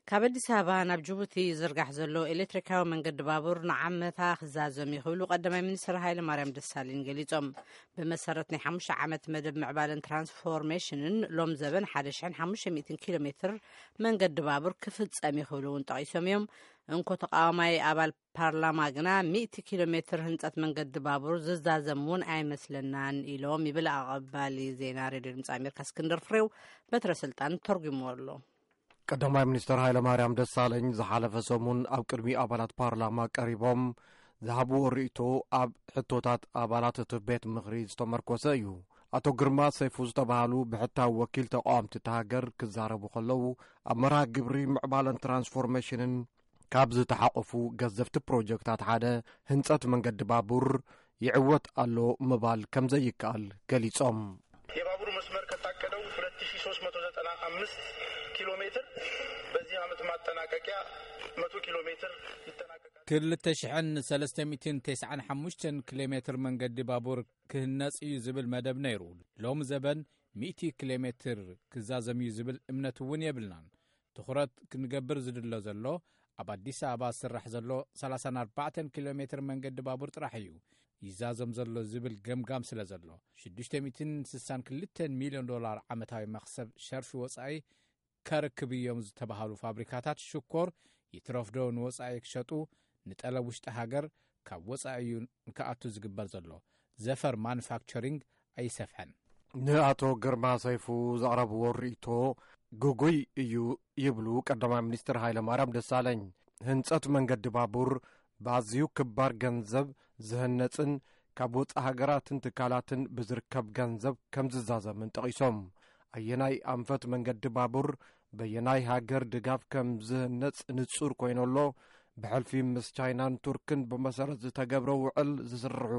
ካብ ኣዲስ ኣበባ ናብ ጅቡቲ ዝርጋሕ ዘሎ ኤሌክትሪካዊ መንገዲ ባቡር ንዓመታ ክዛዘም እዩ ክብሉ ቀዳማይ ሚኒስትር ሃይለ ማርያም ደሳለኝ ገሊጾም። ብመሰረት ናይ ሓሙሽተ ዓመት መደብ ምዕባለን ትራንስፎርሜሽንን ሎም ዘበን ሓደ ሽሕን ሓሙሽተ ሚእትን ኪሎ ሜትር መንገዲ ባቡር ክፍጸም እዩ ክብሉ እውን ጠቒሶም እዮም። እንኮ ተቃዋማይ ኣባል ፓርላማ ግና ሚእቲ ኪሎ ሜትር ህንጸት መንገዲ ባቡር ዝዛዘም እውን ኣይመስለናን ኢሎም ይብል ኣቐባሊ ዜና ሬድዮ ድምፂ ኣሜሪካ እስክንድር ፍሬው በትረ ስልጣን ተርጉምዎ ኣሎ። ቀዳማይ ሚኒስትር ሃይለማርያም ደሳለኝ ዝሓለፈ ሰሙን ኣብ ቅድሚ ኣባላት ፓርላማ ቀሪቦም ዝሃብዎ ርእይቶ ኣብ ሕቶታት ኣባላት እቲ ቤት ምኽሪ ዝተመርኮሰ እዩ። ኣቶ ግርማ ሰይፉ ዝተባህሉ ብሕታዊ ወኪል ተቃወምቲ እቲ ሃገር ክዛረቡ ከለዉ፣ ኣብ መርሃ ግብሪ ምዕባለን ትራንስፎርሜሽንን ካብ ዝተሓቆፉ ገዘፍቲ ፕሮጀክታት ሓደ ህንጸት መንገዲ ባቡር ይዕወት ኣሎ ምባል ከም ዘይከኣል ገሊጾም። የባቡር መስመር ከታቀደው ሁለት ሺህ ሦስት መቶ ዘጠና አምስት ኪሎ ሜትር በዚህ ዓመት ማጠናቀቂያ መቶ ኪሎ ሜትር ይጠናቀቃል። ክልተ ሽሕን ሰለስተ ሚእትን ተስዓን ሓሙሽተን ኪሎ ሜትር መንገዲ ባቡር ክህነጽ እዩ ዝብል መደብ ነይሩ። ሎም ዘበን ሚእቲ ኪሎ ሜትር ክዛዘም እዩ ዝብል እምነት እውን የብልናን። ትኹረት ክንገብር ዝድሎ ዘሎ ኣብ ኣዲስ ኣበባ ዝስራሕ ዘሎ ሰላሳን ኣርባዕተን ኪሎ ሜትር መንገዲ ባቡር ጥራሕ እዩ ይዛዘም ዘሎ ዝብል ገምጋም ስለ ዘሎ፣ ሽዱሽተ ሚእትን ስሳን ክልተን ሚልዮን ዶላር ዓመታዊ መኽሰብ ሸርፊ ወጻኢ ከርክብ እዮም ዝተባህሉ ፋብሪካታት ሽኮር ይትረፍዶ ንወጻኢ ክሸጡ ንጠለብ ውሽጢ ሃገር ካብ ወጻኢ እዩ ክኣቱ ዝግበር ዘሎ። ዘፈር ማኑፋክቸሪንግ ኣይሰፍሐን። ንኣቶ ግርማ ሰይፉ ዘቕረብዎ ርእይቶ ግጉይ እዩ ይብሉ ቀዳማይ ሚኒስትር ሃይለ ማርያም ደሳለኝ። ህንጸት መንገዲ ባቡር ብኣዝዩ ክባር ገንዘብ ዝህነጽን ካብ ወጻኢ ሃገራትን ትካላትን ብዝርከብ ገንዘብ ከም ዝዛዘምን ጠቒሶም። ኣየናይ ኣንፈት መንገዲ ባቡር በየናይ ሃገር ድጋፍ ከም ዝህነጽ ንጹር ኮይኑ ኣሎ። ብሕልፊ ምስ ቻይናን ቱርክን ብመሰረት ዝተገብረ ውዕል ዝስርሑ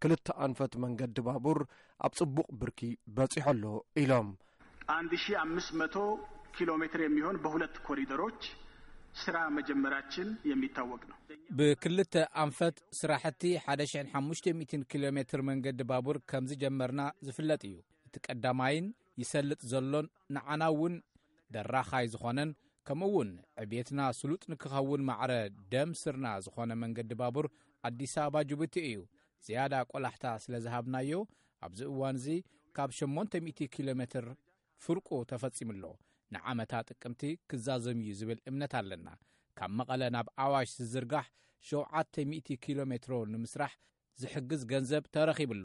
ክልተ ኣንፈት መንገዲ ባቡር ኣብ ጽቡቕ ብርኪ በጺሑ ኣሎ ኢሎም። አንድ ሺህ አምስት መቶ ኪሎ ሜትር የሚሆን በሁለት ኮሪደሮች ስራ መጀመራችን የሚታወቅ ነው። ብክልተ ኣንፈት ስራሕቲ ሓደ ሽሕን ሓሙሽተ ሚእትን ኪሎ ሜትር መንገዲ ባቡር ከም ዝጀመርና ዝፍለጥ እዩ። እቲ ቀዳማይን ይሰልጥ ዘሎን ንዓና እውን ደራኻይ ዝኾነን ከምኡ እውን ዕብየትና ስሉጥ ንክኸውን ማዕረ ደም ስርና ዝኾነ መንገዲ ባቡር ኣዲስ ኣበባ ጅቡቲ እዩ። ዝያዳ ቆላሕታ ስለ ዝሃብናዮ ኣብዚ እዋን እዚ ካብ ሸሞንተ ሚእቲ ኪሎ ሜትር ፍርቁ ተፈጺሙ ኣሎ። ንዓመታ ጥቅምቲ ክዛዘም እዩ ዝብል እምነት ኣለና። ካብ መቐለ ናብ ኣዋሽ ዝዝርጋሕ ሸውዓተ ሚእቲ ኪሎ ሜትሮ ንምስራሕ ዝሕግዝ ገንዘብ ተረኺቡ ኣሎ።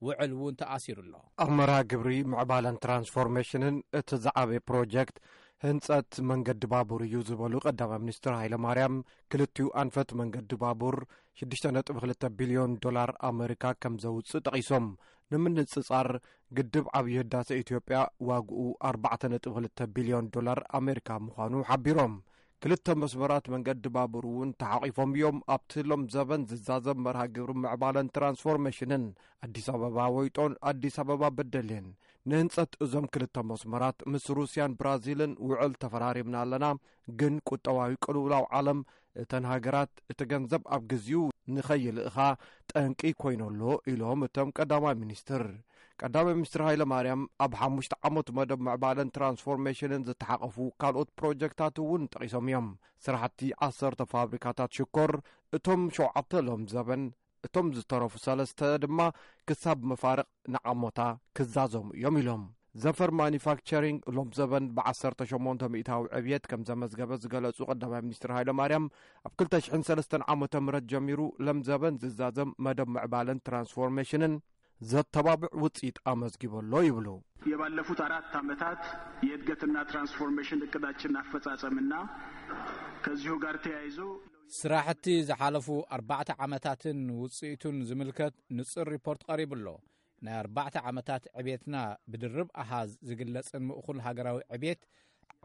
ውዕል እውን ተኣሲሩ ኣሎ። ኣብ መርሃ ግብሪ ምዕባለን ትራንስፎርሜሽንን እቲ ዝዓበየ ፕሮጀክት ህንጸት መንገዲ ባቡር እዩ ዝበሉ ቀዳማይ ሚኒስትር ሃይለ ማርያም፣ ክልቲኡ ኣንፈት መንገዲ ባቡር ሽዱሽተ ነጥቢ ክልተ ቢልዮን ዶላር ኣመሪካ ከም ዘውጽእ ጠቒሶም። ንምንጽጻር፣ ግድብ ዓብዪ ህዳሰ ኢትዮጵያ ዋግኡ ኣርባዕተ ነጥቢ ክልተ ቢልዮን ዶላር ኣመሪካ ምዃኑ ሓቢሮም። ክልተ መስመራት መንገዲ ባቡር እውን ተሓቒፎም እዮም ኣብቲ ሎም ዘበን ዝዛዘም መርሃ ግብሪ ምዕባለን ትራንስፎርሜሽንን። ኣዲስ ኣበባ ወይጦን ኣዲስ ኣበባ በደሌን። ንህንጸት እዞም ክልተ መስመራት ምስ ሩስያን ብራዚልን ውዕል ተፈራሪምና ኣለና፣ ግን ቁጠባዊ ቅልውላው ዓለም እተን ሃገራት እቲ ገንዘብ ኣብ ግዚኡ ንኸይልእኻ ጠንቂ ኮይኑ ኣሎ ኢሎም እቶም ቀዳማይ ሚኒስትር። ቀዳማይ ሚኒስትር ሃይለ ማርያም ኣብ ሓሙሽተ ዓመት መደብ ምዕባለን ትራንስፎርሜሽንን ዝተሓቐፉ ካልኦት ፕሮጀክታት እውን ጠቒሶም እዮም። ስራሕቲ ዓሰርተ ፋብሪካታት ሽኮር፣ እቶም ሸውዓተ ሎም ዘበን፣ እቶም ዝተረፉ ሰለስተ ድማ ክሳብ መፋርቕ ንዓሞታ ክዛዘሙ እዮም ኢሎም። ዘፈር ማኒፋክቸሪንግ ሎም ዘበን ብዓሰርተ ሸሞንተ ሚእታዊ ዕብየት ከም ዘመዝገበ ዝገለጹ ቀዳማይ ሚኒስትር ሃይለ ማርያም፣ ኣብ ክልተ ሽሕን ሰለስተን ዓመተ ምህረት ጀሚሩ ሎም ዘበን ዝዛዘም መደብ ምዕባለን ትራንስፎርሜሽንን ዘተባብዕ ውጽኢት ኣመዝጊቡ ኣሎ ይብሉ። የባለፉት አራት ዓመታት የእድገትና ትራንስፎርሜሽን እቅዳችን አፈጻጸምና ከዚሁ ጋር ተያይዞ ስራሕቲ ዝሓለፉ ኣርባዕተ ዓመታትን ውጽኢቱን ዝምልከት ንጹር ሪፖርት ቀሪቡ ኣሎ። ናይ ኣርባዕተ ዓመታት ዕብየትና ብድርብ ኣሃዝ ዝግለጽን ምእኹል ሃገራዊ ዕብየት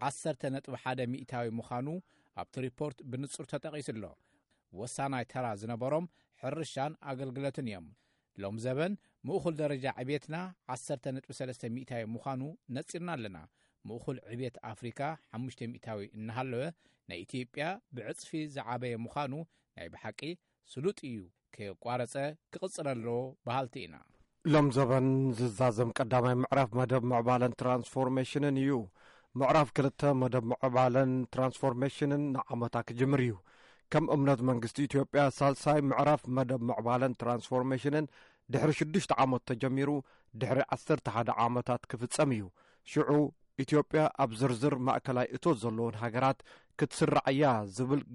ዓሰርተ ነጥቢ ሓደ ሚእታዊ ምዃኑ ኣብቲ ሪፖርት ብንጹር ተጠቒሱ ኣሎ። ወሳናይ ተራ ዝነበሮም ሕርሻን ኣገልግሎትን እዮም። ሎም ዘበን ምእኹል ደረጃ ዕብየትና ዓሰርተ ነጥቢ ሰለስተ ሚእታዊ ምዃኑ ነጺርና ኣለና። ምእኹል ዕብየት ኣፍሪካ ሓሙሽተ ሚእታዊ እናሃለወ ናይ ኢትዮጵያ ብዕጽፊ ዝዓበየ ምዃኑ ናይ ብሓቂ ስሉጥ እዩ፣ ከየቋረጸ ክቕጽል ኣለዎ በሃልቲ ኢና። ሎም ዘበን ዝዛዘም ቀዳማይ ምዕራፍ መደብ ምዕባለን ትራንስፎርሜሽንን እዩ። ምዕራፍ ክልተ መደብ ምዕባለን ትራንስፎርሜሽንን ንዓመታ ክጅምር እዩ። ከም እምነት መንግስቲ ኢትዮጵያ፣ ሳልሳይ ምዕራፍ መደብ ምዕባለን ትራንስፎርሜሽንን ድሕሪ ሽዱሽተ ዓመት ተጀሚሩ፣ ድሕሪ ዓሰርተ ሓደ ዓመታት ክፍጸም እዩ። ሽዑ ኢትዮጵያ ኣብ ዝርዝር ማእከላይ እቶት ዘለዎን ሃገራት ክትስራዕ እያ ዝብል